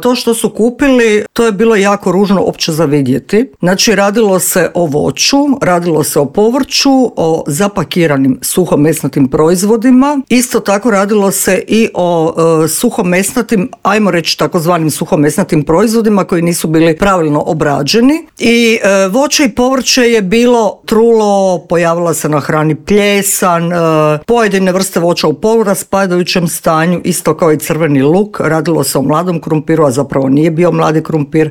To što su kupili, to je bilo jako ružno opće za vidjeti. Znači, radilo se o voću, radilo se o povrću, o zapakiranim suhomesnatim proizvodima. Isto tako radilo se i o suhomesnatim, ajmo reći takozvanim suhomesnatim proizvodima koji nisu bili pravilno obrađeni. I voće i povrće je bilo trulo, pojavila se na hrani pljesan, pojedine vrste voća u poluraspadajućem stanju, isto kao i crveni luk. Radilo se o mladom krumpiru, a zapravo nije bio mladi krumpir.